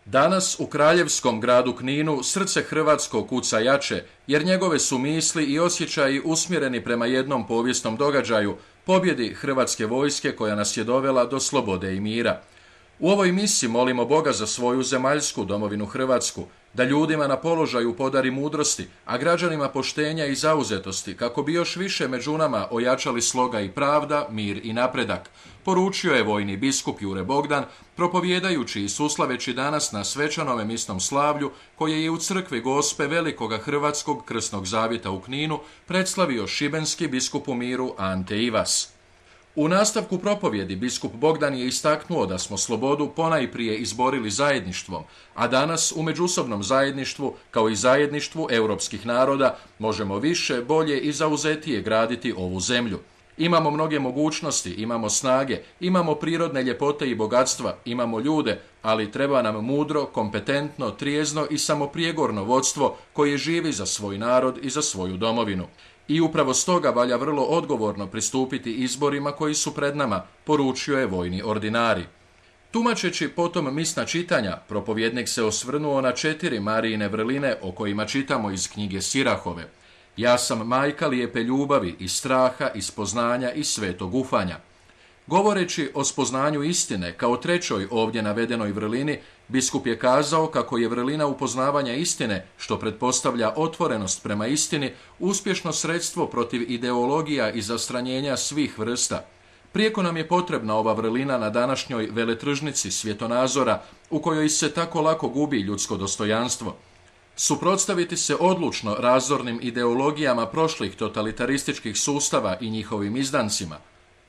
Danas u kraljevskom gradu Kninu srce hrvatsko kuca jače, jer njegove su misli i osjećaji usmjereni prema jednom povijesnom događaju, pobjedi hrvatske vojske koja nas je dovela do slobode i mira. U ovoj misiji molimo Boga za svoju zemaljsku domovinu Hrvatsku, da ljudima na položaju podari mudrosti, a građanima poštenja i zauzetosti, kako bi još više među nama ojačali sloga i pravda, mir i napredak, poručio je vojni biskup Jure Bogdan, propovjedajući i suslaveći danas na svečanome misnom slavlju, koje je u crkvi Gospe Velikoga Hrvatskog krsnog zavjeta u Kninu predslavio šibenski biskup u miru Ante Ivas. U nastavku propovjedi biskup Bogdan je istaknuo da smo slobodu ponajprije izborili zajedništvom, a danas u međusobnom zajedništvu, kao i zajedništvu europskih naroda, možemo više, bolje i zauzetije graditi ovu zemlju. Imamo mnoge mogućnosti, imamo snage, imamo prirodne ljepote i bogatstva, imamo ljude, ali treba nam mudro, kompetentno, trijezno i samoprijegorno vodstvo koje živi za svoj narod i za svoju domovinu. I upravo stoga valja vrlo odgovorno pristupiti izborima koji su pred nama, poručio je vojni ordinari. Tumačeći potom misna čitanja, propovjednik se osvrnuo na 4 Marijine vrline o kojima čitamo iz knjige Sirahove. Ja sam majka lijepe ljubavi i straha i spoznanja i svetog ufanja. Govoreći o spoznanju istine kao 3. ovdje navedenoj vrlini, biskup je kazao kako je vrlina upoznavanja istine, što pretpostavlja otvorenost prema istini, uspješno sredstvo protiv ideologija i zastranjenja svih vrsta. Prijeko nam je potrebna ova vrlina na današnjoj veletržnici svjetonazora, u kojoj se tako lako gubi ljudsko dostojanstvo. Suprotstaviti se odlučno razornim ideologijama prošlih totalitarističkih sustava i njihovim izdancima.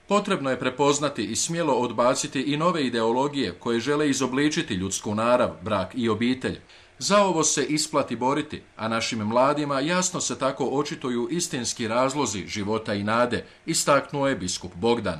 Potrebno je prepoznati i smjelo odbaciti i nove ideologije koje žele izobličiti ljudsku narav, brak i obitelj. Za ovo se isplati boriti, a našim mladima jasno se tako očituju istinski razlozi života i nade, istaknuo je biskup Bogdan.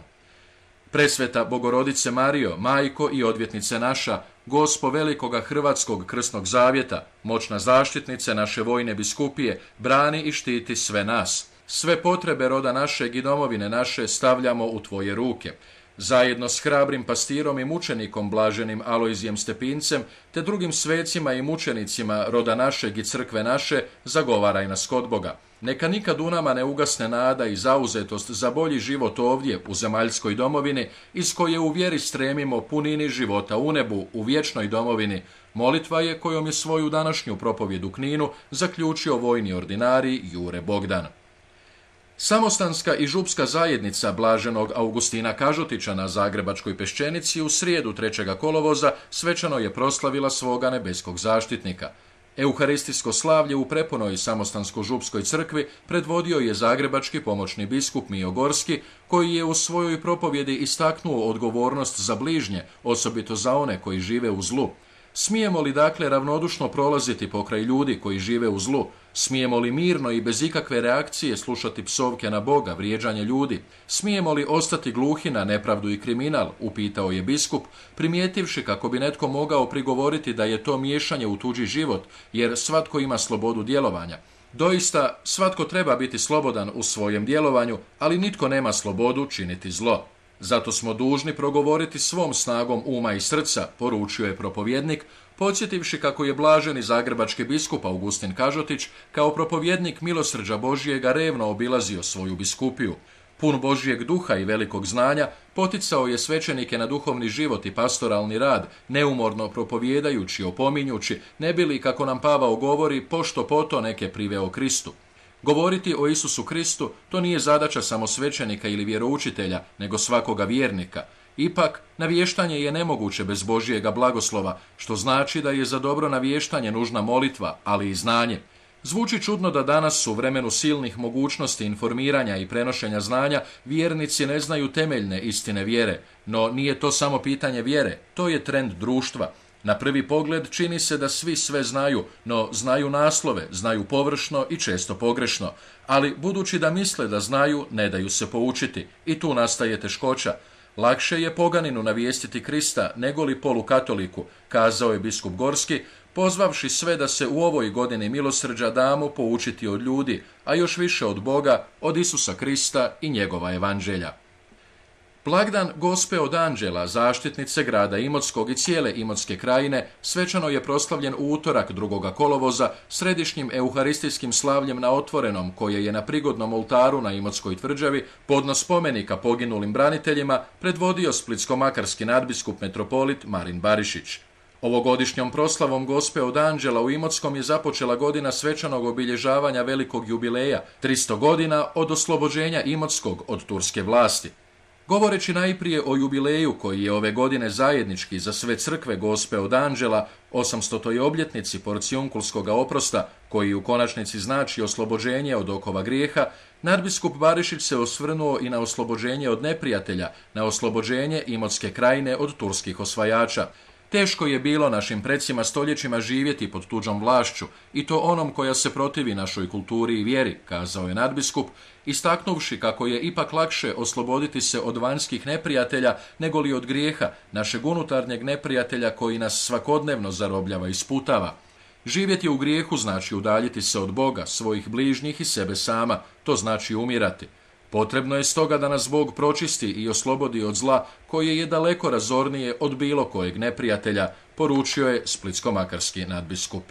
Presveta Bogorodice Marijo, majko i odvjetnice naša, Gospo Velikoga Hrvatskog krsnog zavjeta, moćna zaštitnice naše vojne biskupije, brani i štiti sve nas. Sve potrebe roda našeg i domovine naše stavljamo u tvoje ruke. Zajedno s hrabrim pastirom i mučenikom blaženim Alojzijem Stepincem, te drugim svecima i mučenicima roda našeg i crkve naše, zagovaraj nas kod Boga. Neka nikad u nama ne ugasne nada i zauzetost za bolji život ovdje u zemaljskoj domovini, iz koje u vjeri stremimo punini života u nebu, u vječnoj domovini. Molitva je kojom je svoju današnju propovjed u Kninu zaključio vojni ordinari Jure Bogdan. Samostanska i župska zajednica blaženog Augustina Kažutića na Zagrebačkoj Peščenici u srijedu 3. kolovoza svečano je proslavila svoga nebeskog zaštitnika. Euharistijsko slavlje u prepunoj samostansko-župskoj crkvi predvodio je zagrebački pomoćni biskup Mijo Gorski, koji je u svojoj propovjedi istaknuo odgovornost za bližnje, osobito za one koji žive u zlu. Smijemo li dakle ravnodušno prolaziti pokraj ljudi koji žive u zlu? Smijemo li mirno i bez ikakve reakcije slušati psovke na Boga, vrijeđanje ljudi? Smijemo li ostati gluhi na nepravdu i kriminal? Upitao je biskup, primijetivši kako bi netko mogao prigovoriti da je to miješanje u tuđi život, jer svatko ima slobodu djelovanja. Doista, svatko treba biti slobodan u svojem djelovanju, ali nitko nema slobodu činiti zlo. Zato smo dužni progovoriti svom snagom uma i srca, poručio je propovjednik, podsjetivši kako je blaženi zagrebački biskup Augustin Kažotić kao propovjednik milosrđa Božjega revno obilazio svoju biskupiju. Pun Božjeg duha i velikog znanja, poticao je svećenike na duhovni život i pastoralni rad, neumorno propovjedajući, opominjući, ne bi li, kako nam Pavao govori, pošto poto neke priveo Kristu. Govoriti o Isusu Kristu to nije zadaća samo svećenika ili vjeroučitelja, nego svakoga vjernika. Ipak, navještanje je nemoguće bez Božjega blagoslova, što znači da je za dobro navještanje nužna molitva, ali i znanje. Zvuči čudno da danas u vremenu silnih mogućnosti informiranja i prenošenja znanja vjernici ne znaju temeljne istine vjere, no nije to samo pitanje vjere, to je trend društva. Na prvi pogled čini se da svi sve znaju, no znaju naslove, znaju površno i često pogrešno, ali budući da misle da znaju, ne daju se poučiti i tu nastaje teškoća. Lakše je poganinu navijestiti Krista nego li polukatoliku, kazao je biskup Gorski, pozvavši sve da se u ovoj godini milosrđa damo poučiti od ljudi, a još više od Boga, od Isusa Krista i njegova evanđelja. Blagdan Gospe od Anđela, zaštitnice grada Imotskog i cijele Imotske krajine, svečano je proslavljen u utorak 2. kolovoza središnjim euharistijskim slavljem na Otvorenom, koje je na prigodnom oltaru na Imotskoj tvrđavi podnos spomenika poginulim braniteljima predvodio splitsko-makarski nadbiskup metropolit Marin Barišić. Ovogodišnjom proslavom Gospe od Anđela u Imotskom je započela godina svečanog obilježavanja velikog jubileja, 300 godina od oslobođenja Imotskog od turske vlasti. Govoreći najprije o jubileju koji je ove godine zajednički za sve crkve Gospe od Anđela, 800. obljetnici porcijunkulskoga oprosta, koji u konačnici znači oslobođenje od okova grijeha, nadbiskup Barišić se osvrnuo i na oslobođenje od neprijatelja, na oslobođenje Imotske krajine od turskih osvajača. Teško je bilo našim predsima stoljećima živjeti pod tuđom vlašću, i to onom koja se protivi našoj kulturi i vjeri, kazao je nadbiskup, istaknuvši kako je ipak lakše osloboditi se od vanjskih neprijatelja nego li od grijeha, našeg unutarnjeg neprijatelja koji nas svakodnevno zarobljava i sputava. Živjeti u grijehu znači udaljiti se od Boga, svojih bližnjih i sebe sama, to znači umirati. Potrebno je stoga da nas Bog pročisti i oslobodi od zla koje je daleko razornije od bilo kojeg neprijatelja, poručio je splitsko-makarski nadbiskup.